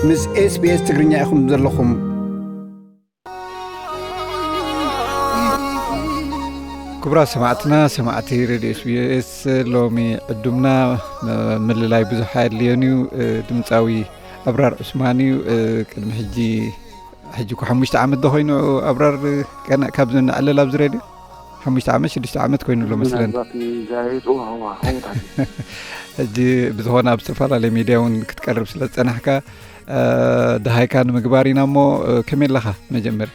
ምስ SBS ትግርኛ ኢኹም ዘለኹም። ክቡራት ሰማዕትና፣ ሰማዕቲ ሬድዮ SBS፣ ሎሚ ዕዱምና፣ እ፣ ምልላይ ብዙሕ ኣየድልዮን እዩ። እ፣ ድምፃዊ ኣብራር ዑስማን እዩ። እ፣ ቅድሚ ሕጂ፣ ሕጂ እኮ ሓሙሽተ ዓመት ዶ ኮይኑ ኣብራር፣ ቀና-፣ ካብ ንዕለል ኣብዚ ሬድዮ? ሓሙሽተ ዓመት፣ ሽዱሽተ ዓመት ኮይኑ ኣሎ መስለኒ። ምናልባት ንዛይድ፣ እዋ፣ እዋ፣ ከምኡ። ሕጂ ብዝኾነ ኣብ ዝተፈላለየ ሚድያ እውን ክትቀርብ ስለ ዝጸናሕካ፣ እ፣ ደሃይካ ንምግባር ኢና እሞ፣ እ፣ ከመይ ኣለኻ መጀመርያ?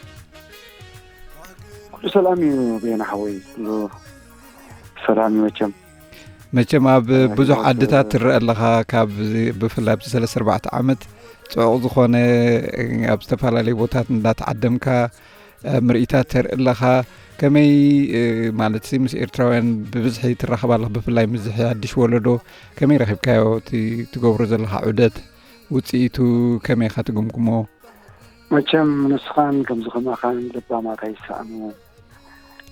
ኩሉ ሰላም እዩ ቤና ሓወይ፣ ኩሉ ሰላም እዩ መቸም። መቸም ኣብ ሰላም ብዙሕ ህይወት፣ ዓድታት እ፣ ትረአ ኣለኻ፣ ካብ ብፍላይ ኣብዚ ሰለስተ ኣርባዕተ ዓመት ጽዑቕ ዝኾነ፣ እ፣ ኣብ ዝተፈላለዩ ቦታት እንዳተዓደምካ፣ እ፣ ምርኢታት ተርኢ ኣለኻ። ከመይ፣ እ፣ ማለት ሲ ምስ ኤርትራውያን ብብዝሒ ትራኸብ ኣለኻ፣ ብፍላይ ምስዚ ሓድሽ ወለዶ ከመይ ረኺብካዮ? እቲ ትገብሮ ዘለኻ ዑደት ውጽኢቱ ከመይ ኢኻ ትግምግሞ? መቸም ንስኻን ከምዚ ከማኻን ለባማት ኣይሰኣኑ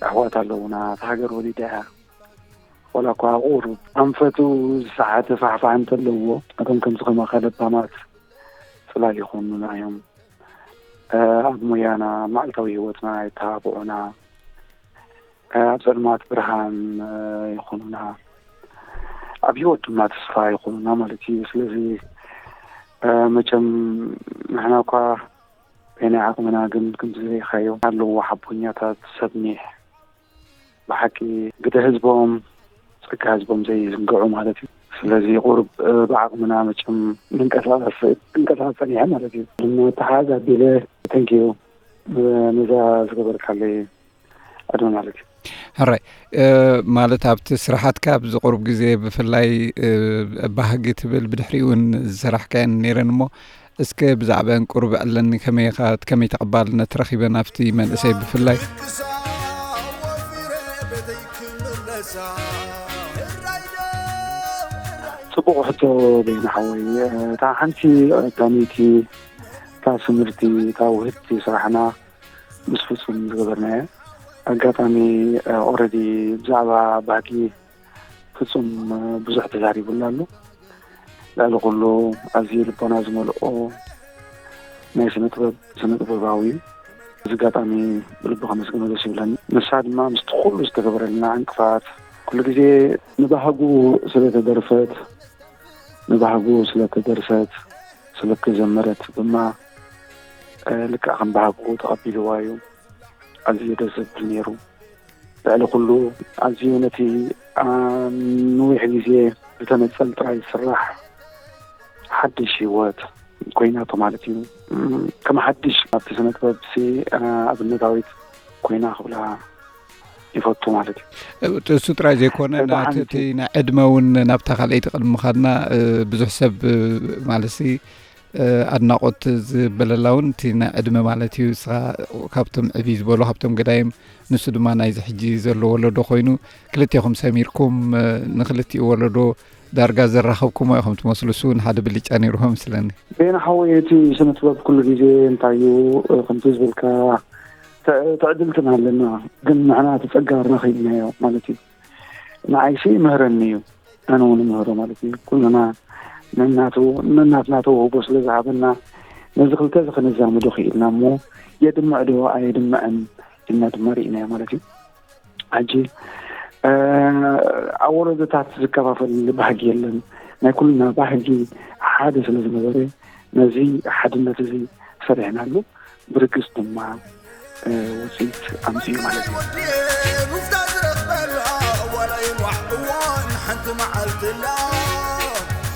ኣሕዋት ኣለዉና። እታ ሃገር ወሊዳ እያ። ዋላ እኳ ቁሩብ ኣንፈቱ ዝሰሓተ ፋሕፋሕ እንተለዎ፣ እቶም ከምዚ ከማኻ ለባማት ጽላል ይኾኑና እዮም። እ፣ ኣብ ሞያና፣ ኣብ መዓልታዊ ህይወትና የተባብዑና፣ እ፣ ኣብ ጸልማት ብርሃን፣ እ፣ ይኾኑና፣ ኣብ ህይወት ድማ ተስፋ ይኾኑና ማለት እዩ። ስለዚ፣ እ፣ መቸም ንሕና እኳ በይናይ ዓቕምና ግን ከምዚ ርኢኻዮ ኣለዎ ሓቦኛታት ሰብ ኒሕ ብሓቂ ግደ ህዝቦም፣ ጸጋ ህዝቦም ዘይዝንግዑ ማለት እዩ። ስለዚ ቁሩብ፣ እ፣ ብዓቕምና መቸም ንንቀሳቐስ፣ ክንቀሳቐስ ጸኒሐ ማለት እዩ። ድማ ተሓዝ ኣቢለ ተንኪዩ፣ እ፣ ነዛ ዝገበርካለይ ዕድመ ማለት እዩ። ሕራይ፣ እ፣ ማለት ኣብቲ ስራሓትካ ኣብዚ ቁሩብ ግዜ ብፍላይ፣ እ፣ ባህጊ ትብል ብድሕሪኡ እውን ዝሰራሕካየን ነይረን እሞ እስከ ብዛዕባአን ቁሩብ ዕለኒ፣ ከመይ ኢኻ፣ ከመይ ተቐባልነት ረኺበን ኣብቲ መንእሰይ ብፍላይ? ጽቡቕ ሕቶ በይኑ ሓወይ። እታ ሓንቲ ቀዳመይቲ፣ እታ ስምርቲ፣ እታ ውህድቲ ስራሕና ምስ ፍጹም ዝገበርናዮ። ኣጋጣሚ፣ ኦረዲ ብዛዕባ ባህጊ ፍጹም ብዙሕ ተዛሪቡሉ ኣሎ። ልዕሊ ኩሉ ኣዝዩ ልቦና ዝመልኦ ናይ ስነ ጥበብ፣ ስነ ጥበባዊ እዩ። እዚ ኣጋጣሚ ብልቢ ከመስግኖ ደስ ይብለኒ። ንሳ ድማ ምስቲ ኩሉ ዝተገበረልና ዕንቅፋት፣ ኩሉ ግዜ ንባህጉ ስለ ተደርፈት፣ ንባህጉ ስለ ተደርሰት፣ ስለ ተዘመረት ድማ፣ እ፣ ልክዕ ከም ባህጉ ተቐቢልዋ እዩ። ኣዝዩ ደስ ዘብል ነይሩ። ልዕሊ ኩሉ ኣዝዩ ነቲ፣ ኣ፣ ንዊሕ ግዜ ብተነጸል ጥራይ ዝስራሕ ሓድሽ ህይወት ኮይናቶ ማለት እዩ። እም፣ ከም ሓድሽ ኣብቲ ስነ ጥበብ ሲ፣ ኣ፣ ኣብነታዊት ኮይና ክብላ ይፈቱ ማለት እዩ። እሱ ጥራይ ዘይኮነ፣ እታ ናቲ፣ ሓንቲ እቲ ናይ ዕድመ እውን ናብታ ካልኣይቲ ቅድሚ ምኻድና፣ እ፣ ብዙሕ ሰብ፣ እ፣ ማለት ሲ፣ እ፣ ኣድናቖት ዝበለላ እውን እቲ ናይ ዕድመ ማለት እዩ። ንስኻ ካብቶም ዕብይ ዝበሉ፣ ካብቶም ገዳይም፣ ንሱ ድማ ናይዚ ሕጂ ዘሎ ወለዶ ኮይኑ፣ ክልቴኹም ሰሚርኩም፣ እ፣ ንክልቲኡ ወለዶ ዳርጋ ዘራኸብኩሞ ኢኹም ትመስሉ። እሱ እውን ሓደ ብልጫ ነይሩ መስለኒ። ቤና ሓወይ፣ እቲ ስነ ጥበብ ኩሉ ግዜ እንታይ እዩ፣ እ፣ ከምቲ ዝበልካ፣ ተ-፣ ትዕድልትና ኣለና፣ ግን ንሕና እቲ ጸጋ ረኺብናዮ ማለት እዩ። ንዓይሲ ይምህረኒ እዩ፣ ኣነ እውን እምህሮ ማለት እዩ። ኩልና ነናቱ፣ ነናትና ተውህቦ ስለ ዝሃበና፣ ነዚ ክልተ እዚ ከነዛምዶ ክኢልና እሞ፣ የድምዕ ዶ ኣየድምዕን ኢልና ድማ ርኢናዮ ማለት እዩ። ሕጂ፣ እ፣ ኣብ ወለዶታት ዝከፋፈል ባህጊ የለን። ናይ ኩልና ባህጊ ሓደ ስለ ዝነበረ፣ ነዚ ሓድነት እዚ ሰሪሕናሉ፣ ብርግጽ ድማ፣ እ፣ ውጽኢት ኣምጺኡ ማለት እዩ። ወዲ ሩፍታ ዝረኽበላ ዋላ ይንዋሕ እዋን ሓንቲ መዓልቲ ኣላ።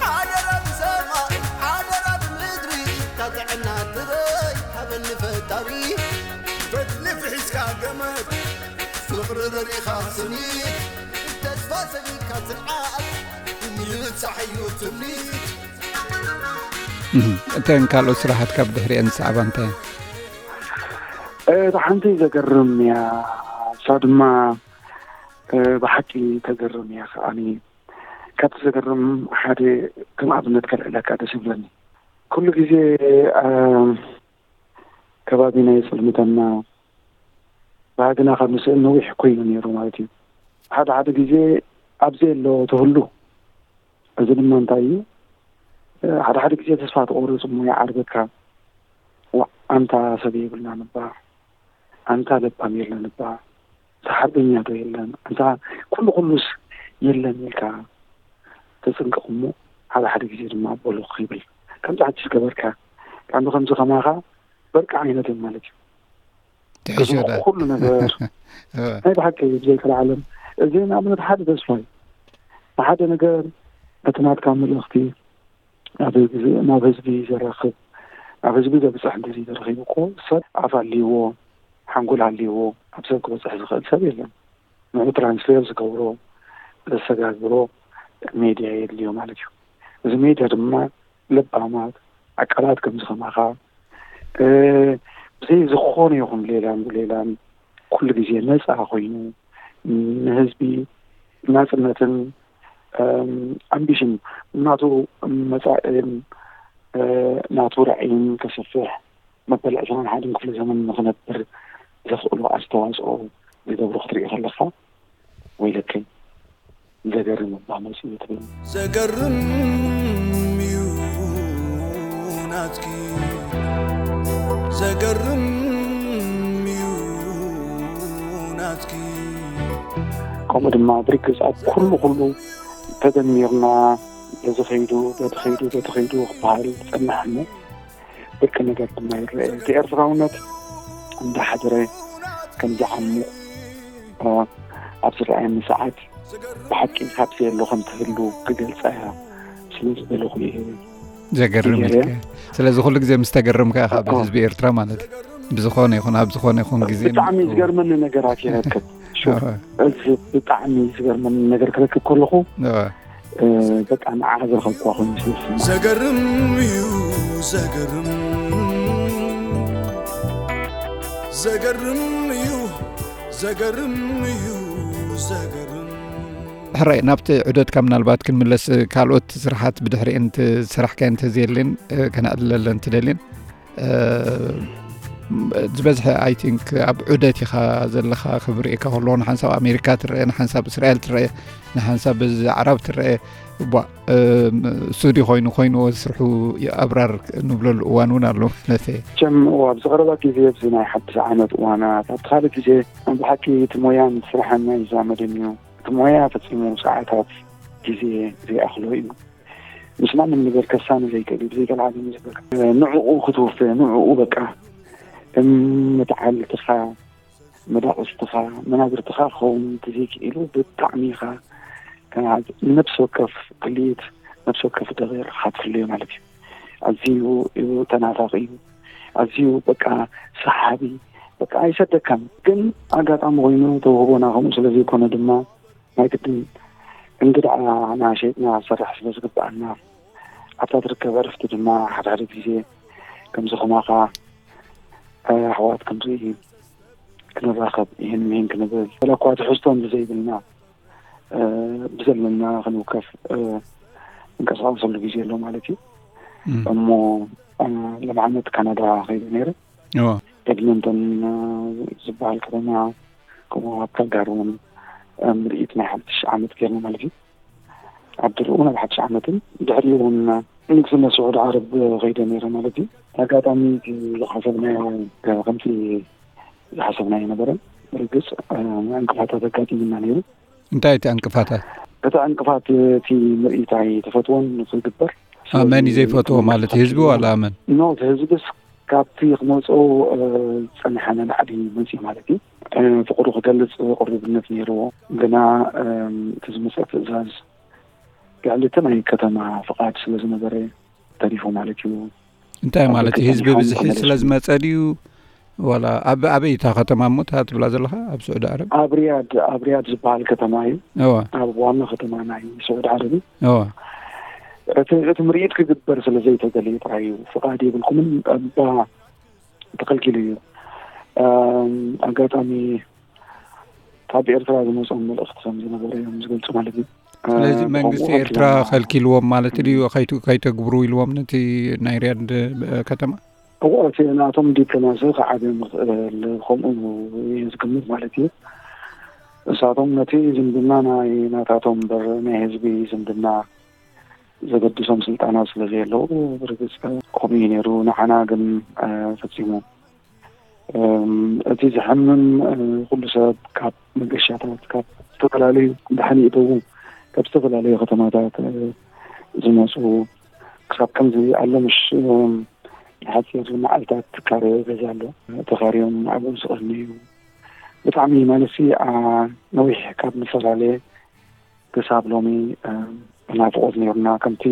ሓደራ ብሰማይ፣ ሓደራ ብምድሪ፣ እታ ጥዕና ትረይ ሃበኒ ፈጣሪ። ፈትሊ ፍሒስካ ገመድ፣ ፍቕሪ ረሪኻ ስኒት፣ ተስፋ ሰኒካ ጽንዓት፣ ምብጻሕ እዩ ትምኒት። እህ፣ እተን ካልኦት ስራሓትካ ብድሕሪአን ዝሰዕባ እንታይ? እታ ሓንቲ ዘገርም እያ፣ እሳ ድማ፣ እ፣ ብሓቂ ተገርም እያ ከዓኒ። ካብቲ ዘገርም ሓደ ከም ኣብነት ከልዕለካ ደስ ይብለኒ። ኩሉ ግዜ፣ እ፣ ከባቢና የጽልምተና፣ ባህግና ካብ ንስእል ነዊሕ ኮይኑ ነይሩ ማለት እዩ። ሓደ ሓደ ግዜ ኣብ ዘየሎ ትህሉ። እዚ ድማ እንታይ እዩ? ሓደ ሓደ ግዜ ተስፋ ትቆርጽ እሞ ይዓርበካ። ዋ፣ ኣንታ ሰብ የብልናን እባ፣ ኣንታ ለባም የለን እባ፣ ኣንታ ሓርበኛ ዶ የለን፣ ኣንታ ኩሉ ኩሉስ የለን ኢልካ ተጽንቀቕ እሞ፣ ሓደ ሓደ ግዜ ድማ በሉኽ ይብል። ከምዚ ሓድሽ ገበርካ፣ ከምዚ ከምዚ ከማኻ በርቂ ዓይነት እዮም ማለት እዩ። ትሕሾ ዳ ኩሉ ነገር ናይ ብሓቂ ብዘይከልዓለም። እዚ ንኣብነት ሓደ ተስፋ እዩ። ንሓደ ነገር እቲ ናትካ መልእኽቲ ናብ ህዝቢ ዘራኽብ፣ ናብ ህዝቢ ዘብፅሕ እንተዘይተረኺቡ እኮ ሰብ ኣፍ ኣልዎ ሓንጎል ኣልዎ ኣብ ሰብ ክበፅሕ ዝኽእል ሰብ የለን። ንዑ ትራንስሌት ዝገብሮ ዘሰጋግሮ ሜድያ የድልዮ ማለት እዩ። እዚ ሜድያ ድማ ለባማት ዓቃላት ከምዚ ከማኻ ብዘይ ዝኾነ ይኹን ሌላን ሌላን ኩሉ ግዜ ነፃ ኮይኑ ንህዝቢ ናፅነትን ኣምቢሽን ናቱ መፃእን ናቱ ራዕይን ከስፍሕ መበል ዕስራን ሓደን ክፍለ ዘመን ንክነብር ዘኽእሉ ኣስተዋፅኦ ዝገብሩ ክትርኢ ከለካ ወይለከይ ዘገርም እባ መፅኡ ትብል። ዘገርም እዩ ናትኪ፣ ዘገርም እዩ ናትኪ። ከምኡ ድማ ብርግፅ ኣብ ኩሉ ኩሉ ተደሚርና በዚ ከይዱ በቲ ከይዱ በቲ ከይዱ ክበሃል ዝፀንሕ እሞ ደቂ ነገር ድማ ይረአ። እቲ ኤርትራውነት እንዳሓደረ ከም ዝዓሙ ኣብ ዝረኣየኒ ሰዓት ብሓቂ ካብዚ ኣሎ ከም ትህሉ ክገልፃ እያ ስለ ዝበለኹ እየ። ዘገርም ኢልካ። ስለዚ ኩሉ ግዜ ምስ ተገረምካ ኢኻ ብህዝቢ ኤርትራ ማለት እዩ። ብዝኾነ ይኹን ኣብ ዝኾነ ይኹን ግዜ ብጣዕሚ ዝገርመኒ ነገራት ይረክብ። ሹፍ፣ እዚ ብጣዕሚ ዝገርመኒ ነገር ክረክብ ከለኹ በቃ ንዓ ዝረኸብኳ ኮይኑ ስለስማ። ዘገርም እዩ ዘገርም፣ ዘገርም እዩ፣ ዘገርም እዩ፣ ዘገርም። ሕራይ፣ ናብቲ ዑደትካ ምናልባት ክንምለስ፣ ካልኦት ስራሓት ብድሕሪኤን ዝሰራሕካየን እንተዘየልን ከነዕልለለን ትደልን? ዝበዝሐ፣ I think፣ ኣብ ዑደት ኢኻ ዘለኻ። ክብርእካ ከለዎ ንሓንሳብ ኣሜሪካ ትረአ፣ ንሓንሳብ እስራኤል ትረአ፣ ንሓንሳብ በዚ ኣዕራብ ትረአ። እቧ፣ ሱዲ ኮይኑ ኮይንዎ ስርሑ ኣብራር ንብለሉ እዋን እውን ኣሎ ማለት እየ። ቸም፣ እዋ፣ ኣብዚ ቀረባ ግዜ፣ ኣብዚ ናይ ሓድሽ ዓመት እዋናት፣ ኣብቲ ካልእ ግዜ፣ ብሓቂ እቲ ሞያን ስራሕን ኣይዛመድን እዩ። እቲ ሞያ ፈጺሙ ሰዓታት ግዜ ዘይኣኽሎ እዩ። ምስ ማንም ነገር ከሳኒ ዘይክእል እዩ። ብዘይከልዓለም እዩ ዝብል። ንዕኡ ክትውፈ፣ ንዕኡ በቃ ከም መተዓልትኻ፣ መዳቕስትኻ፣ መናብርትኻ ክኸውን እንተዘይክኢሉ ብጣዕሚ ኢኻ ንነብሲ ወከፍ ክልኢት፣ ነብሲ ወከፍ ደቂቕ ክትፍለዮ ማለት እዩ። ኣዝዩ እዩ ተናፋቒ እዩ። ኣዝዩ በቃ ሰሓቢ፣ በቃ ኣይሰደካን። ግን ኣጋጣሚ ኮይኑ ተውህቦና ከምኡ ስለ ዘይኮነ ድማ ናይ ግድን እንግድዓ እናሸጥና ክንሰርሕ ስለ ዝግብኣና ኣብታ ትርከብ ዕርፍቲ ድማ ሓደ ሓደ ግዜ ከምዚ ከማኻ ኣሕዋት ክንርኢ ክንራኸብ ይህን ምሂን ክንብል ወላ እኳ ትሕዝቶ እንተዘይብልና ብዘለና ክንውከፍ እንቀሳቐሰሉ ግዜ ኣሎ ማለት እዩ። እሞ ሎምዓመት ካናዳ ከይደ ነይረ። ኤድመንተን ዝበሃል ከተማ ከምኡ ኣብ ካልጋሪ እውን ምርኢት ናይ ሓድሽ ዓመት ገይርና ማለት እዩ። ኣብ ድርኡ ናብ ሓድሽ ዓመትን ድሕሪኡ እውን ንግስነት ስዑድ ዓረብ ከይደ ነይረ ማለት እዩ። ኣጋጣሚ እቲ ዝሓሰብናዮ ከምቲ ዝሓሰብናዮ ነበረን። ብርግፅ ዕንቅፋታት ኣጋጢሙና ነይሩ። እንታይ እቲ ዕንቅፋታት? እቲ ዕንቅፋት እቲ ምርኢት ኣይተፈትዎን ክግበር። መን እዩ ዘይፈትዎ ማለት እዩ? ህዝቢ ዋላ መን? ኖ፣ እቲ ህዝብስ ካብቲ ክመፅኦ ዝፀንሐ ንላዕሊ መፅኡ ማለት እዩ። ፍቅሩ ክገልፅ ቅሩብነት ነይርዎ። ግና እቲ ዝመፀ ትእዛዝ ልዕሊ እቲ ናይ ከተማ ፍቃድ ስለ ዝነበረ ተሪፉ ማለት እዩ። እንታይ ማለት እዩ? ህዝቢ ብዝሒ ስለ ዝመፀ ድዩ? ዋላ ኣብ ኣበይ እታ ከተማ እሞ እታ ትብላ ዘለኻ? ኣብ ስዑዲ ዓረብ? ኣብ ሪያድ፣ ኣብ ሪያድ ዝበሃል ከተማ እዩ። እወ። ኣብ ዋና ከተማ ናይ ስዑዲ ዓረብ እዩ። እወ። እቲ እቲ ምርኢት ክግበር ስለ ዘይተደልየ ጥራይ እዩ። ፍቓድ የብልኩምን እባ ተኸልኪሉ እዩ። ኣጋጣሚ ካብ ኤርትራ ዝመጾም መልእኽቲ ከም ዝነበረ እዮም ዝገልጹ ማለት እዩ። ስለዚ መንግስቲ ኤርትራ ከልኪልዎም ማለት ድዩ? ከይተግብሩ ኢልዎም ነቲ ናይ ሪያድ ከተማ? እዎ፣ እቲ ናቶም ዲፕሎማሲ ክዓብዮም ይኽእል፣ ከምኡ እየ ዝግምት ማለት እዩ። እሳቶም ነቲ ዝምድና ናይ ናታቶም እምበር ናይ ህዝቢ ዝምድና ዘገድሶም ስልጣናት ስለ ዘየለዉ፣ ብርግጽ ከምኡ እዩ ነይሩ። ንዓና ግን ፈጺሙ እቲ ዘሐምም፣ ኩሉ ሰብ ካብ መገሻታት፣ ካብ ዝተፈላለዩ፣ ድሓን ይእተዉ፣ ካብ ዝተፈላለዩ ከተማታት ዝመፁ፣ ክሳብ ከምዚ ኣሎ ምሽ ንሓፂር መዓልታት ትካረ ገዛ ኣሎ፣ ተኻርዮም ኣብኡ ዝቐነዩ። ብጣዕሚ ማለትሲ ነዊሕ ካብ ንፈላለየ ክሳብ ሎሚ ብናፍቖት ነይሩና። ከምቲ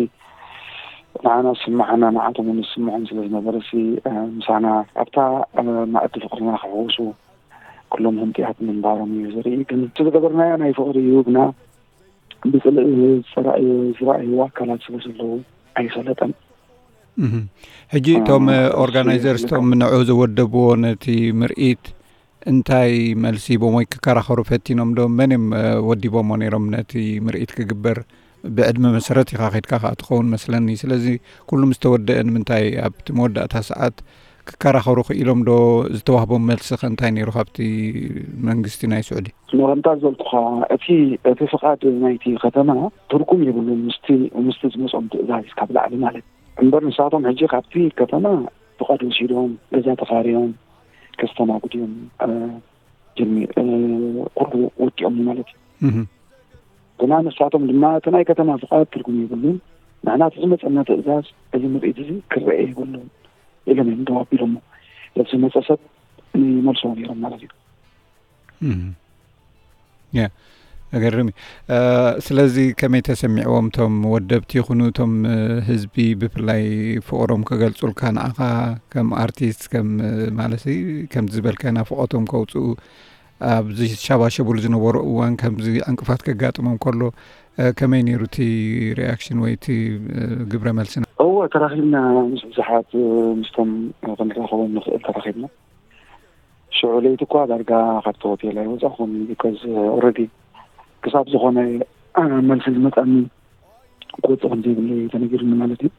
ንዓና ዝስምዓና ንዓቶም እውን ዝስምዖም ስለ ዝነበረ ሲ ምሳና ኣብታ መኣዲ ፍቕርና ክሕውሱ ኩሎም ህንጥያት ምንባሮም እዩ ዘርኢ። ግን እቲ ዝገበርናዮ ናይ ፍቕሪ እዩ፣ ግና ብጽልኢ ዝረኣዩ ኣካላት ስለ ዘለዉ ኣይሰለጠን። ሕጂ እቶም ኦርጋናይዘርስ እቶም ንዑ ዝወደብዎ ነቲ ምርኢት እንታይ መልሲ ሂቦም ወይ ክከራኸሩ ፈቲኖም ዶ? መን እዮም ወዲቦሞ ነይሮም ነቲ ምርኢት ክግበር? ብዕድመ መሰረት ኢኻ ከድካ ከኣ ትኸውን መስለኒ። ስለዚ ኩሉ ምስ ተወደአ ንምንታይ ኣብቲ መወዳእታ ሰዓት ክከራኸሩ ክኢሎም ዶ? ዝተዋህቦም መልሲ ከ እንታይ ነይሩ ካብቲ መንግስቲ ናይ ስዑዲ? መቐንታ ዝበልኩኻ እቲ እቲ ፍቓድ ናይቲ ከተማ ትርጉም የብሉን ምስቲ ምስቲ ዝመጾም ትእዛዝ ካብ ላዕሊ ማለት እምበር ንሳቶም ሕጂ ካብቲ ከተማ ፍቓድ ወሲዶም ገዛ ተኻርዮም ከስተናግድዮም ጀሚ ኩሉ ወዲኦም ማለት እዩ። ግና ንሳቶም ድማ እቲ ናይ ከተማ ፍቓድ ትርጉም የብሉን። ንሕና እቲ ዝመፀና ትእዛዝ እዚ ምርኢት እዚ ክረአ የብሉን ኢሎም እዮም ደው ኣቢሎሞ። ለዚ ዝመፀ ሰብ ይመልሶ ነይሮም ማለት እዩ። ያ ኣገርም እዩ። ስለዚ ከመይ ተሰሚዕዎም እቶም ወደብቲ ይኹኑ እቶም ህዝቢ ብፍላይ ፍቕሮም ክገልጹልካ ንዓኻ ከም ኣርቲስት ከም ማለት ከምዚ ዝበልካ ናፍቆቶም ከውፅኡ ኣብ ዝሻባሸቡሉ ዝነበሩ እዋን ከምዚ ዕንቅፋት ከጋጥሞም ከሎ ከመይ ነይሩ እቲ ሪያክሽን ወይ እቲ ግብረ መልስና? እወ ተራኺብና ምስ ብዙሓት ምስቶም ክንራኸቦም ንኽእል ተራኺብና። ሽዑ ለይቲ እኳ ዳርጋ ካብቲ ሆቴል ኣይወፃኹን። ቢኮዝ ኦረዲ ክሳብ ዝኾነ መልሲ ዝመፃኒ ክወፅእ ከም ዘይብለይ ተነጊሩኒ ማለት እዩ።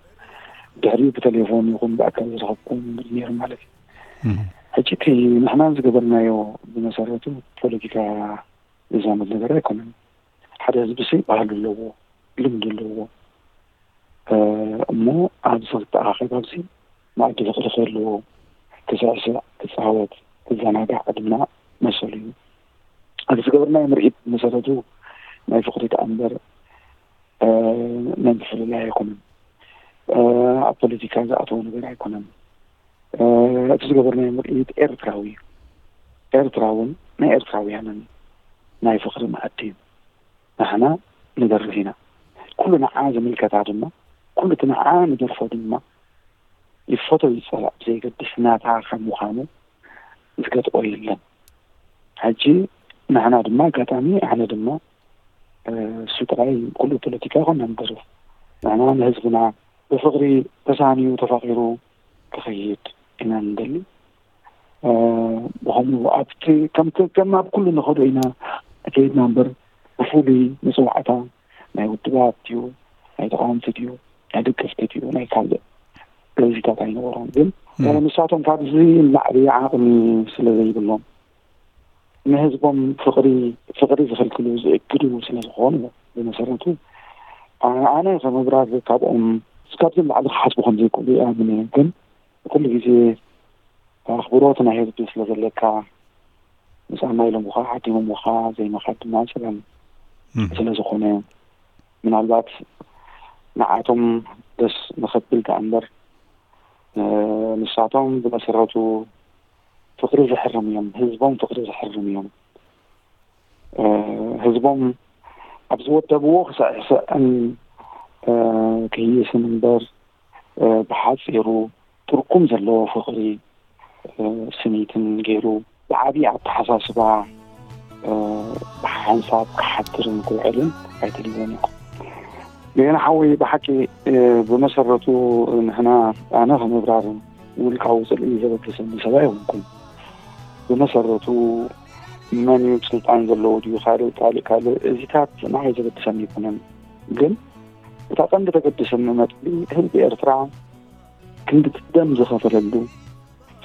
ድሕሪኡ ብቴሌፎን ይኹን ብኣካል ዝረኸብኩም ነይሩ ማለት እዩ። ሕጂ እቲ ንሕና ዝገበርናዮ ብመሰረቱ ፖለቲካ ዝዛመድ ነገር ኣይኮነን። ሓደ ህዝቢ ሲ ባህሉ ኣለዎ፣ ልምዲ ኣለዎ። እሞ ኣብዚ ክተኣኻኸብ ኣብዚ መኣዲ ፍቕሪ ክህልዎ፣ ክስዕስዕ፣ ክፃወት፣ ክዘናጋዕ ድማ መሰሉ እዩ። ኣብዚ ዝገበርናዮ ምርኢት ብመሰረቱ ናይ ፍቕሪ ደኣ እምበር ናይ ምፍልላይ ኣይኮነን። ኣብ ፖለቲካ ዝኣተወ ነገር ኣይኮነን። እቲ ዝገበርናዮ ምርኢት ኤርትራዊ እዩ። ኤርትራውን ናይ ኤርትራውያንን ናይ ፍቕሪ መኣዲ እዩ። ንሕና ንደርፍ ኢና። ኩሉ ንዓ ዝምልከታ ድማ፣ ኩሉ እቲ ንዓ ንደርፎ ድማ ይፈቶ ይጸላእ ብዘይገድስ ናታ ከም ምዃኑ ዝገጥኦ የለን። ሕጂ ንሕና ድማ ኣጋጣሚ ኣነ ድማ እሱ ጥራይ ኩሉ ፖለቲካ ይኮን ንደርፍ ንሕና ንህዝብና ብፍቕሪ ተሳንዩ ተፋቒሩ ክኸይድ ኢና ንደሊ። ብኸምኡ ኣብቲ ከም ከም ኣብ ኩሉ ንኸዶ ኢና ከይድና እምበር ብፍሉይ መፅዋዕታ ናይ ውድባት ድዩ ናይ ተቃወምቲ ድዩ ናይ ደገፍቲ ድዩ ናይ ካልእ ገዚታት ኣይነበሮም። ግን ንሳቶም ካብዚ ንላዕሊ ዓቕሚ ስለ ዘይብሎም ንህዝቦም ፍቕሪ ፍቕሪ ዝኽልክሉ ዝእግዱ ስለ ዝኾኑ ብመሰረቱ ኣነ ከም ኣብራር ካብኦም ካብዚ ንላዕሊ ክሓስቡ ከም ዘይክእሉ ይኣምን እየ። ግን ኩሉ ግዜ ኣኽብሮት ናይ ህዝቢ ስለ ዘለካ ምስ ኣማኢሎምኻ ዓዲሞምኻ ዘይምኻድ ድማ ፀገም ስለ ዝኾነ ምናልባት ንዓቶም ደስ ንኸብል ደኣ እምበር ንሳቶም ብመሰረቱ ፍቕሪ ዘሕርም እዮም። ህዝቦም ፍቕሪ ዘሕርም እዮም። ህዝቦም ኣብ ዝወደብዎ ክስዕስዕን ክህይስን እምበር ብሓፂሩ ትርጉም ዘለዎ ፍቕሪ ስኒትን ገይሩ ብዓብዪ ኣተሓሳስባ ብሓንሳብ ክሓድርን ክውዕልን ኣይተልይዎን ኢኹም። ገና ሓወይ ብሓቂ ብመሰረቱ ንሕና ኣነ ከም ኣብራር ውልቃዊ ፅልኢ ዘበግሰኒ ሰብ ኣይኮንኩን። ብመሰረቱ መን እዩ ስልጣን ዘለዎ ድዩ ካልእ ካልእ ካልእ እዚታት ንዓይ ዘበግሰኒ ኣይኮነን። ግን እታ ቀንዲ ተገድሰኒ ነጥቢ ህዝቢ ኤርትራ ክንዲ ደም ዝኸፈለሉ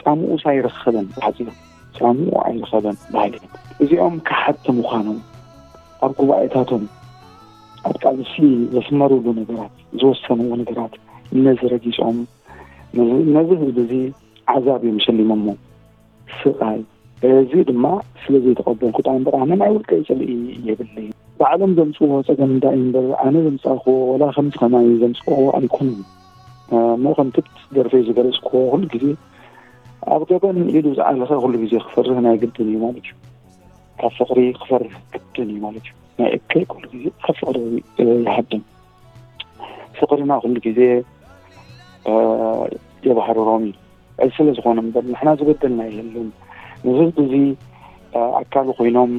ጻምኡስ ኣይረኸበን ብሓጺሩ ጻምኡ ኣይረኸበን በሃሊ እዚኦም ከሓድቲ ምዃኖም ኣብ ጉባኤታቶም ኣብ ቃልሲ ዘስመሩሉ ነገራት፣ ዝወሰንዎ ነገራት፣ ነዚ ረጊጾም፣ ነዚ ነዚ ህዝቢ እዚ ዓዛብ እዮም ሸሊሞሞ። ስቓይ። እዚ ድማ ስለ ዘይተቐበልኩ ጥራይ እምበር፣ ኣነ ናይ ውልቀይ ጽልኢ የብለይን። ባዕሎም ዘምጽእዎ ጸገም እንታይ እምበር፣ ኣነ ዘምጻእክዎ ወላ ከምዚ ከማይ ዘምጽእዎ ኣይኮኑን። እሞ ከምቲ ደርፈይ ዝገለጽክዎ፣ ኩሉ ግዜ ኣብ ገበን ኢዱ ዝዓለኸ ኩሉ ግዜ ክፈርህ ናይ ግድን እዩ ማለት እዩ። ካብ ፍቕሪ ክፈርህ ግድን እዩ ማለት እዩ። ናይ እከይ ኩሉ ግዜ ካብ ፍቕሪ፣ እ፣ ይሃድም። ፍቕርና ኩሉ ግዜ፣ እ፣ የባህርሮም እዩ። እዚ ስለ ዝኾነ እምበር ንሕና ዝበደልና የለን። ንህዝቢ እዚ፣ እ፣ ኣካሉ ኮይኖም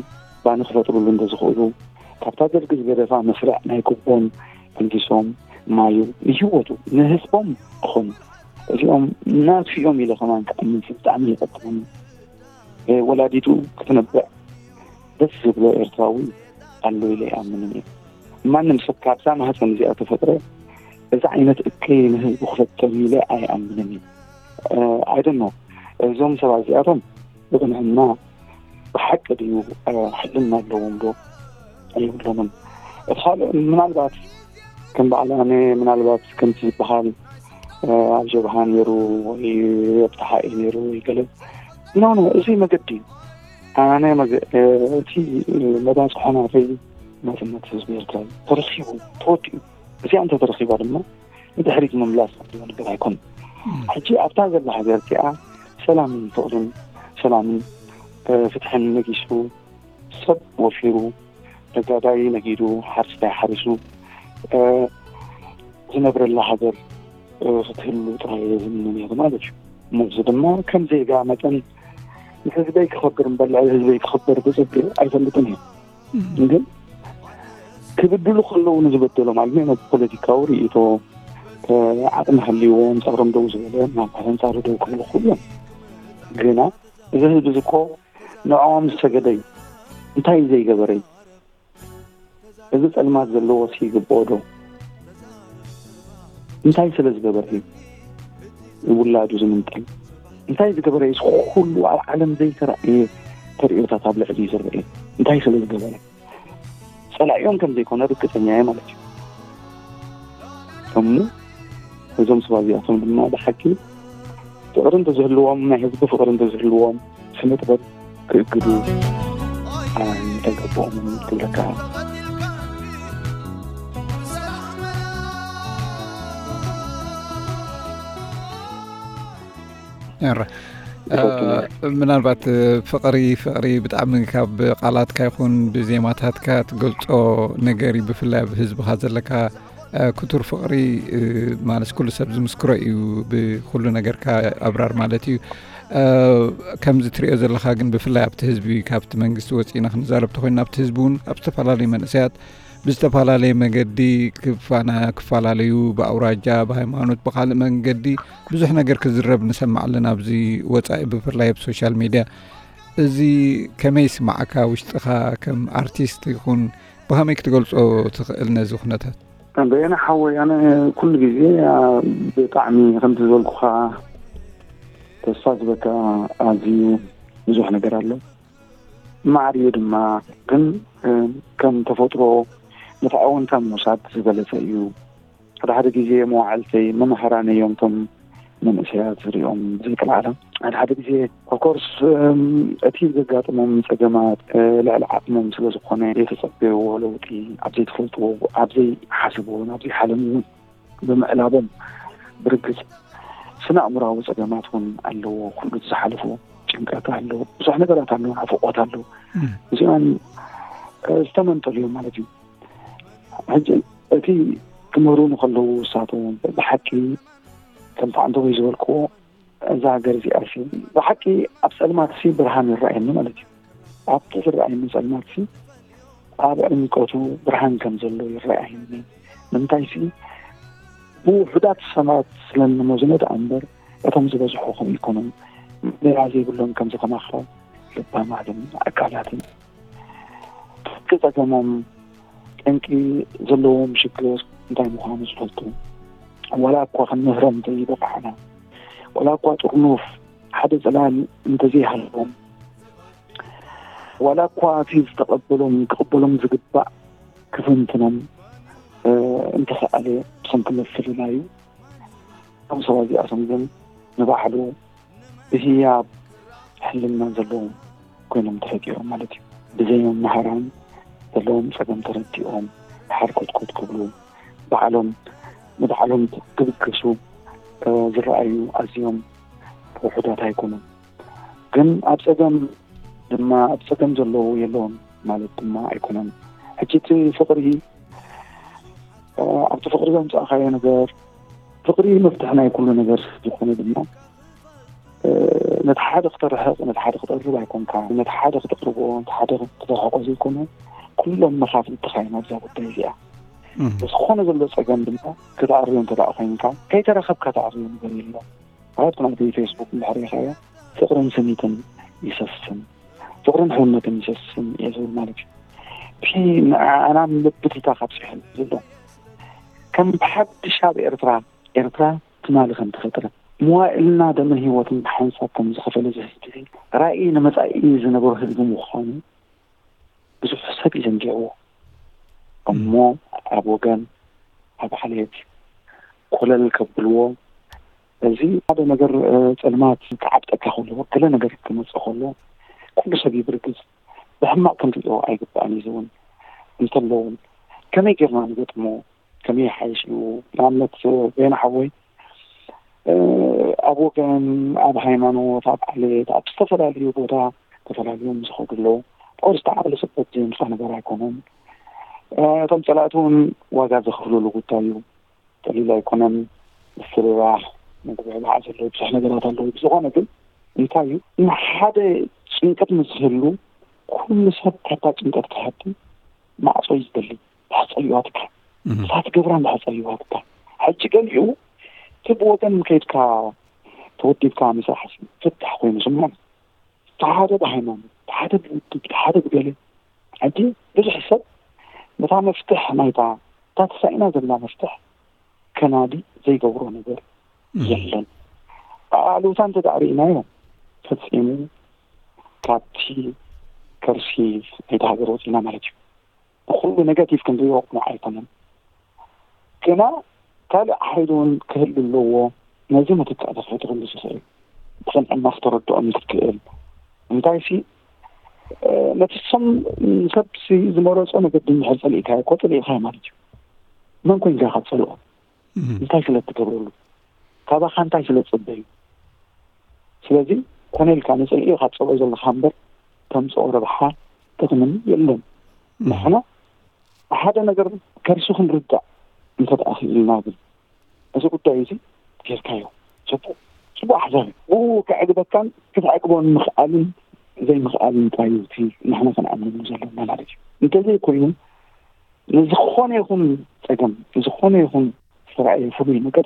ባኒ ክፈጥሩሉ እንተዝኽእሉ፣ ካብታ ደርጊ ዝገደፋ መስርዕ ናይ ኩቦን ኣልጊሶም ማዩ ንህይወቱ ንህዝቦም ክኾኑ፣ እዚኦም ናቱ እዮም ኢለ ከማን ክኣምን ብጣዕሚ ይቐጥዕኒ። እ፣ ወላዲቱ ክትነብዕ ደስ ዝብሎ ኤርትራዊ ኣሎ ኢለ ይኣምንን እየ። ማንም ሰብ ካብዛ ማህፀን እዚኣ ተፈጥረ እዚ ዓይነት እከይ ንህዝቡ ክፈጥር ኢለ ኣይኣምንን እየ። እ፣ I don't know። እዞም ሰባት እዚኣቶም ብቕንዕና ብሓቂ ድዩ፣ እ፣ ሕልና ኣለዎም ዶ? የብሎምን። እቲ ካልእ ምናልባት ከም በዓል ኣነ ምናልባት ከምቲ ዝበሃል፣ እ፣ ኣብ ጀብሃ ነይሩ ወይ ኣብ ተሓኤ ነይሩ ወይ ገለ። ኖ፣ ኖ፣ እዚ መገዲ እዩ። ኣነ መገ-፣ እ፣ እቲ መባፅሖ ናተይ ናጽነት ህዝቢ ኤርትራ እዩ። ተረኺቡ፣ ተወዲኡ። እዚኣ እንተተረኺባ ድማ ንድሕሪት ምምላስ ዘለዎ ነገር ኣይኮነን። ሕጂ ኣብታ ዘላ ሃገር እዚኣ ሰላምን ፍቕርን፣ ሰላምን፣ እ፣ ፍትሕን ነጊሱ፣ ሰብ ወፊሩ፣ ነጋዳይ ነጊዱ፣ ሓረስታይ ሓሪሱ፣ እ፣ ዝነብረላ ሃገር፣ እ፣ ክትህሉ ጥራይ እየ ዝምነ ነይሩ ማለት እዩ። ነዚ ድማ ከም ዜጋ መጠን ንህዝበይ ክኸብር እምበር ልዕሊ ህዝበይ ክኸብር ብጽብቅ ኣይፈልጥን እየ። ግን ክብድሉ ከለዉ ንዝበደሎም፣ ማለት ናይ ፖለቲካዊ ርእይቶ፣ እ፣ ዓቕሚ ሃልይዎም ጸሮም ደው ዝበለ፣ ናብ ኣንጻሩ ደው ክብሉ ክኽእሉ እዮም። ግና እዚ ህዝቢ እዚ እኮ ንዕኦም ዝሰገደ እዩ። እንታይ እዩ ዘይገበረ እዩ? እዚ ጸልማት ዘለዎ ሲ ይግብኦ ዶ? እንታይ ስለ ዝገበረ እዩ ውላዱ ዝምንጠል? እንታይ ዝገበረ እዩ እዚ ኩሉ ኣብ ዓለም ዘይተራእየ ተርእዮታት ኣብ ልዕሊ ዝረአ? እንታይ ስለ ዝገበረ? ጸላኢኦም ከም ዘይኮነ ርግጸኛ እየ ማለት እዩ። እሞ እዞም ሰባት እዚኣቶም ድማ ብሓቂ ፍቕሪ እንተዝህልዎም፣ ናይ ህዝቢ ፍቕሪ እንተዝህልዎም፣ ስነ ጥበብ ክእግዱ ኣይምተገበኦምን ክብለካ። እረ፣ እ፣ ምናልባት፣ እ፣ ፍቕሪ፣ ፍቕሪ ብጣዕሚ ካብ ቃላትካ ይኹን ብዜማታትካ ትገልጾ ነገር እዩ፣ ብፍላይ ኣብ ህዝብኻ ዘለካ፣ እ፣ ክቱር ፍቕሪ፣ እ፣ ማለት ኩሉ ሰብ ዝምስክሮ እዩ፣ ብኩሉ ነገርካ ኣብራር ማለት እዩ። እ፣ ከምዚ ትሪኦ ዘለኻ ግን ብፍላይ ኣብቲ ህዝቢ፣ ካብቲ መንግስቲ ወፂእና ክንዛረብ ተኾይና፣ ኣብቲ ህዝቢ እውን ኣብ ዝተፈላለዩ መንእሰያት ብዝተፈላለየ መገዲ ክፋና-፣ ክፈላለዩ፣ ብኣውራጃ፣ ብሃይማኖት፣ ብኻልእ መንገዲ ብዙሕ ነገር ክዝረብ ንሰምዕ ኣለና ኣብዚ ወጻኢ፣ ብፍላይ ኣብ ሶሻል ሚድያ። እዚ ከመይ ይስምዓካ? ውሽጥኻ ከም ኣርቲስት ይኹን ብኸመይ ክትገልጾ ትኽእል ነዚ ኩነታት? በየነ ሓወይ፣ ኣነ ኩሉ ግዜ፣ ኣ፣ ብጣዕሚ ከምቲ ዝበልኩኻ ተስፋ ዝበካ ኣዝዩ ብዙሕ ነገር ኣሎ። ማዕርዩ ድማ ግን፣ እ፣ ከም ተፈጥሮ ነቲ ኣወንታ ምውሳድ ዝበለጸ እዩ። ሓደ ሓደ ግዜ መዋዕልተይ መማህራነይ እዮም እቶም መንእሰያት ዝሪኦም ዘይክልዓለም። ሓደ ሓደ ግዜ ኦፍኮርስ፣ እም፣ እቲ ዘጋጥሞም ጸገማት፣ እ፣ ልዕሊ ዓቕሞም ስለ ዝኾነ ዘይተጸበይዎ ለውጢ፣ ኣብ ዘይትፈልጥዎ፣ ኣብ ዘይሓሰብዎን ኣብ ዘይሓለምዎን ብምዕላቦም ብርግጽ ስነ ኣእምሮኣዊ ጸገማት እውን ኣለዎ። ኩሉ እቲ ዝሓለፎ ጭንቀት ኣሎ፣ ብዙሕ ነገራት ኣሎ፣ ናፍቖት ኣሎ። እም። እዚኦም፣ እ፣ ዝተመንጠሉ እዮም ማለት እዩ። ሕጂ እቲ ክምህሩ ንከለዉ ንሳቶም ብሓቂ ከምቲ ዓንተቦይ ዝበልክዎ እዛ ሃገር እዚኣ ሲ ብሓቂ ኣብ ጸልማት ሲ ብርሃን ይረኣየኒ ማለት እዩ። ኣብቲ ዝረኣየኒ ጸልማት ሲ ኣብ ዕምቆቱ ብርሃን ከም ዘሎ ይረኣየኒ። ንምንታይ ሲ ብውሑዳት ሰባት ስለ እንመዝኖ ደኣ እምበር እቶም ዝበዝሑ ከምኡ ይኮኑን። ሜላ ዘይብሎም ከምዚ ከማኻ ልባማትን ኣካላትን ትሕቲ ጸገሞም ጠንቂ ዘለዎም ሽግር እንታይ ምዃኑ ዝፈልጡ፣ ዋላ እኳ ክንምህሮም እንተዘይበቃዕና፣ ዋላ እኳ ጥርኑፍ ሓደ ጽላል እንተዘይሃለዎም፣ ዋላ እኳ እቲ ዝተቐበሎም ክቕበሎም ዝግባእ ክፍንትኖም እንተኸኣለ ብሰንኪ ምፍልላዩ፣ እቶም ሰባት እዚኣቶም ግን ንባዕሉ ብህያብ ሕልና ዘለዎም ኮይኖም ተፈጢሮም ማለት እዩ። ብዘይ መምሃራን ዘለዎም ጸገም ተረዲኦም ሓርኮትኮት ክብሉ፣ ባዕሎም ንባዕሎም ክብገሱ ዝረኣዩ ኣዝዮም ውሑዳት ኣይኮኑን። ግን ኣብ ጸገም ድማ ኣብ ጸገም ዘለዉ የለውን ማለት ድማ ኣይኮነን። ሕጂ እቲ ፍቕሪ ኣብቲ ፍቕሪ ዘምጻእካዮ ነገር፣ ፍቕሪ መፍትሒ ናይ ኩሉ ነገር ዝኾነ ድማ ነቲ ሓደ ክተርሕቕ፣ ነቲ ሓደ ክተቕርብ ኣይኮንካ፣ ነቲ ሓደ ክተቕርቦ፣ ነቲ ሓደ ክተርሕቆ ዘይኮነ ኩሎም መኻፍልትኻ እዮም ኣብዛ ጉዳይ እዚኣ። ዝኾነ ዘሎ ጸገም ድማ ክትኣርዮ እንተ ደኣ ኮይንካ፣ ከይተራኸብካ ተኣርዮ ነገር የለን። ኣብ ናይ ፌስቡክ እንድሕር ሪኢኻዮ፣ ፍቕርን ስኒትን ይሰስን፣ ፍቕርን ሕውነትን ይሰስን እየ ዝብል ማለት እዩ። እቲ ንዓና ልብትታ ካብ ሲሕል ዘሎ ከም ብሓድሽ ኣብ ኤርትራ፣ ኤርትራ ትማሊ ከም ተፈጥረት፣ መዋእልና ደምን ህይወትን ብሓንሳብ ከም ዝኸፈለ እዚ ህዝቢ እዚ፣ ራእይ ንመጻኢ ዝነበሮ ህዝቢ ምዃኑ ብዙሕ ሰብ እዩ ዘንጊዕዎ። እሞ ኣብ ወገን፣ ኣብ ዓሌት ኮለል ከብልዎ፣ እዚ ሓደ ነገር ጸልማት ክዓብጠካ ከሎ፣ ገለ ነገር ክመጽእ ከሎ፣ ኩሉ ሰብ ይብርግጽ፣ ብሕማቕ ክንሪኦ ኣይግባእን እዩ ዝውን እንተለውን ከመይ ጌርና ንገጥሞ? ከመይ ይሓይሽ እዩ? ንኣብነት በየነ ሓወይ ኣብ ወገን፣ ኣብ ሃይማኖት፣ ኣብ ዓሌት፣ ኣብ ዝተፈላለዩ ቦታ ተፈላልዮም ዝኸዱ ኣለዉ። ኦር ዝተዓቕሊ ጽበት ዘየምጻ ነገር ኣይኮነን። እቶም ጸላእቲ እውን ዋጋ ዘኽፍሉሉ ጉዳይ እዩ። ቀሊል ኣይኮነን። ምስርራህ፣ ምጉብዕባዕ ዘለዎ ብዙሕ ነገራት ኣለዉ። ብዝኾነ ግን እንታይ እዩ፣ ንሓደ ጭንቀት ምስ ዝህሉ ኩሉ ሰብ ካብታ ጭንቀት ክሃድም ማዕጾ እዩ ዝደሊ። ድሓር ጸሊእዋ ትካ እሳት ገብራን ድሓር ጸሊእዋ ትካ። ሕጂ ገሊኡ እቲ ብወገን ከይድካ ተወዲብካ ምስራሕ ፍታሕ ኮይኑ ስምዖ። ሓደ ብሃይማኖት፣ ሓደ ብውድብ፣ ሓደ ብገለ። ሕጂ ብዙሕ ሰብ ነታ መፍትሕ ናይታ እታ ተሳኢና ዘላ መፍትሕ ከናዲ ዘይገብሮ ነገር የለን። ኣሉታ እንተ ደኣ ርኢናዮ ፈጺሙ ካብቲ ከርሲ ናይታ ሃገር ወጺና ማለት እዩ። ንኹሉ ኔጋቲቭ ክንሪኦ ቅኑዕ ኣይኮነን። ግና ካልእ ሓይሊ እውን ክህሉ ኣለዎ። ነዚ ምትካእ ተፈጢሩሉ ዝኽእል ብቕንዕና ክተረድኦም ክትክእል። እንታይሲ ነቲ ሰም ንሰብሲ ዝመረጾ መገዲ እንድሕር ጸሊእካዮ እኮ ጸሊእካዮ ማለት እዩ። መን ኮይንካ ኢኻ ትጸልኦ? እንታይ ስለ እትገብረሉ? ካባኻ እንታይ ስለ እትጽበዩ? ስለዚ ኮነ ኢልካ ንጽልኢ ኢኻ ትጸልኦ ዘለኻ እምበር ተምጽኦ ረብሓ ጥቕምን የለን። ንሕና ሓደ ነገር ከርሱ ክንርዳእ እንተ ደኣ ክኢልና ግን እዚ ጉዳይ እዚ ጌርካዮ ጽቡቕ ጽቡቕ ሓሳብ እዩ። ብኡ ከዕግበካን ክትዕግቦን ምኽኣልን ዘይምኽኣልን ጥራይ እዩ እቲ ንሕና ክንኣምነሉ ዘለና ማለት እዩ። እንተዘይኮይኑ ንዝኾነ ይኹን ጸገም ንዝኾነ ይኹን ዝተራእየ ፍሉይ ነገር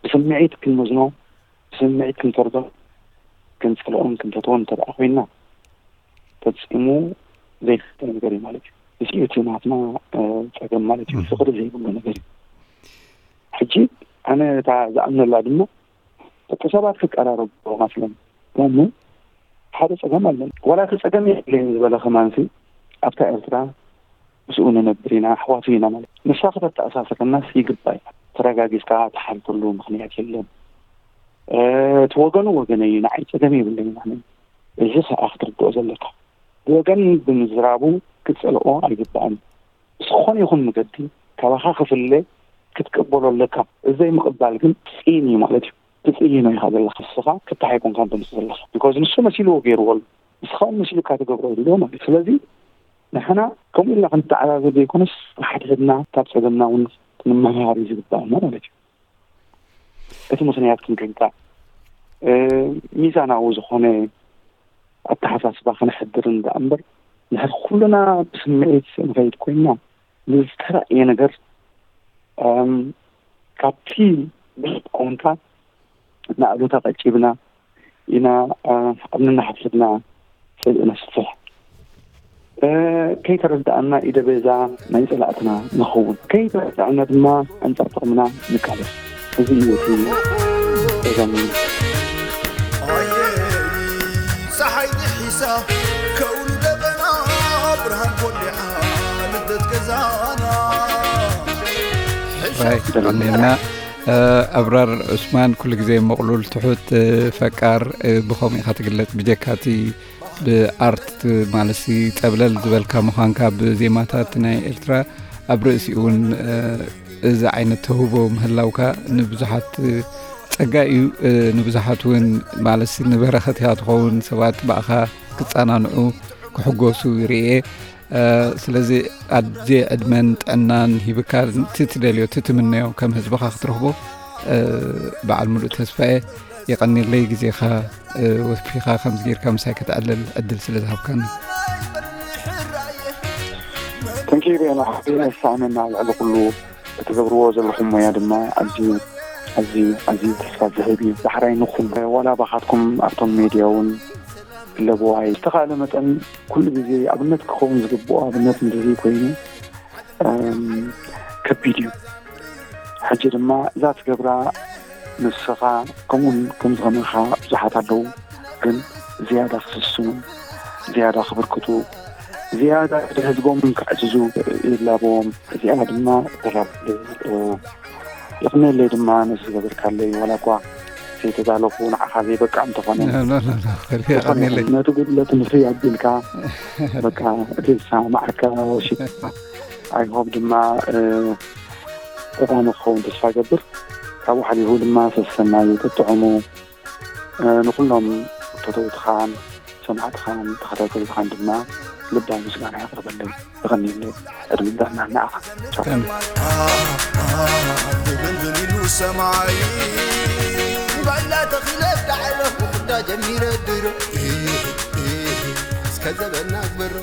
ብስምዒት ክንመዝኖ፣ ብስምዒት ክንፈርዶ፣ ክንጸልኦን ክንፈትዎን እንተ ደኣ ኮይንና ፈጺሙ ዘይፍተ ነገር እዩ ማለት እዩ። እዚ እዩ እቲ ናትና ጸገም ማለት እዩ። ፍቕሪ ዘይብሉ ነገር እዩ። ሕጂ ኣነ እታ ዝኣምነላ ድማ ደቂ ሰባት ክቀራረቡ ኣለዎም ኣስለን። ለምን ሓደ ጸገም ኣለን። ዋላ እቲ ጸገም የብለይን ዝበለ ከማንሲ ኣብታ ኤርትራ ምስኡ ንነብር ኢና፣ ኣሕዋቱ ኢና ማለት እዩ። ንሳ ከተተኣሳስረናስ ይግባእ። ተረጋጊጽካ ትሓልፈሉ ምኽንያት የለን። እቲ ወገኑ ወገነይ እዩ፣ ንዓይ ጸገም የብለይን ኣነ። እዚ ከኣ ክትርድኦ ዘለካ። ብወገን ብምዝራቡ ክትጸልኦ ኣይግባእን። ብዝኾነ ይኹን መገዲ ካባኻ ክፍለ ክትቅበሎ ኣለካ። እዚ ዘይምቕባል ግን ጽን እዩ ማለት እዩ። ትጽይኖ ኢኻ ዘለኻ ንስኻ፣ ክታሕ ኣይኮንካን ተምጽእ ዘለኻ። ቢኮዝ ንሱ መሲልዎ ገይርዎ ኣሎ። ንስኻ እውን መሲሉካ ትገብሮ ኣሎ ማለት እዩ። ስለዚ ንሕና ከምኡ ኢልና ክንተዓዛዘብ ዘይኮነስ፣ ንሓድሕድና ካብ ጸገምና እውን ክንመሃር እዩ ዝግባኣና ማለት እዩ። እቲ ምኽንያት ክንርዳእ፣ ሚዛናዊ ዝኾነ ኣተሓሳስባ ከነሕድር እንዳ እምበር፣ ንሕድ ኩልና ብስምዒት ንኸይድ ኮይንና፣ ንዝተራእየ ነገር ካብቲ ብዝቃወምካ ንኣሉታ ቀጭብና ኢና ኣብ ነናሕድሕድና ጽልኢ ነስፍሕ። ከይተረዳእና ኢደ ቤዛ ናይ ጸላእትና ንኸውን፣ ከይተረዳእና ድማ ኣንጻር ጥቕምና ንቃለስ። እዚ እዩ እቲ ጸገም። ፀሓይ ንሒሳ ከውሊ ደበና ብርሃን ኮሊዓ ልደት ገዛና። ራይ ቀኒልና። ኣብራር ዑስማን ኩሉ ግዜ መቕሉል፣ ትሑት፣ ፈቃር፣ ብኸምኡ ኢኻ ትግለጽ። ብጀካቲ ብኣርት ማለሲ ጸብለል ዝበልካ ምዃንካ፣ ብዜማታት ናይ ኤርትራ ኣብ ርእሲኡ እውን እዚ ዓይነት ተውህቦ ምህላውካ ንብዙሓት ጸጋ እዩ። ንብዙሓት እውን ማለሲ ንበረኸት እያ ትኸውን። ሰባት ብኣኻ ክጸናንዑ ክሕጎሱ ይርእየ። ስለዚ ኣዜ ዕድመን ጥዕናን ሂብካ፣ እቲ ትደልዮ፣ እቲ ትምነዮ ከም ህዝብኻ ክትረኽቦ በዓል ሙሉእ ተስፋ እየ። የቐኒለይ ግዜኻ ወፊኻ ከምዚ ጌርካ ምሳይ ከተዕልል ዕድል ስለ ዝሃብካኒ። ተንኪ ቤና ሓቢና ይሰኣነና። ልዕሊ ኩሉ እትገብርዎ ዘለኹም ሞያ ድማ ኣዝዩ ኣዝዩ ኣዝዩ ተስፋ ዝህብ እዩ። ዳሕራይ ንኹን ዋላ ባኻትኩም ኣብቶም ሜድያ እውን ኣለብዋ እዩ። ዝተኻእለ መጠን ኩሉ ግዜ ኣብነት ክኸውን ዝግብኦ ኣብነት እንተዘይ ኮይኑ ከቢድ እዩ። ሕጂ ድማ እዛ ትገብራ ንስኻ ከምኡን ከም ዝኸመኻ ብዙሓት ኣለዉ፣ ግን ዝያዳ ክስስኑ ዝያዳ ክብርክቱ ዝያዳ ህዝቦምን ክዕዝዙ ይላበዎም። እዚኣ ድማ ተላብለ ይቕነለይ ድማ ነዚ ዝገበርካለይ ዋላ እኳ ዘይተዳለኹ ንዓኻ ዘይበቃ እንተኾነ ነቲ ጉድለት ንፍይ ኣቢልካ በቃ እቲ ዝሰማማዓካ ወሲድካ ኣይሆብ ድማ ጠቃሚ ክኸውን ተስፋ ገብር። ካብኡ ሓሊፉ ድማ ሰሰናዩ ጥጥዕሙ ንኩሎም ፈተውትኻን ሰማዕትኻን ተኸታተልትኻን ድማ ልባዊ ምስጋና የቕርበለይ። ተቐኒለ ዕድመን ጥዕናን ንዓኻ። ቻው። ሰማይ ባይላ ተኺለ ዳዕለ ክዳ ጀሚረ ድሮ እስከ ዘበና ግበሮ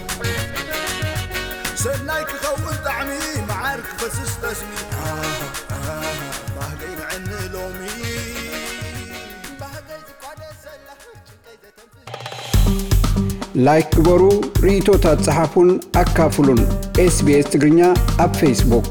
ሰናይ ክኸውን ጣዕሚ መዓር ክፈስስ ጠስሚ ባህገይ ንዕኒ ሎሚ ላይክ ግበሩ፣ ርእይቶታት ጸሓፉን ኣካፍሉን። ኤስቢኤስ ትግርኛ ኣብ ፌስቡክ።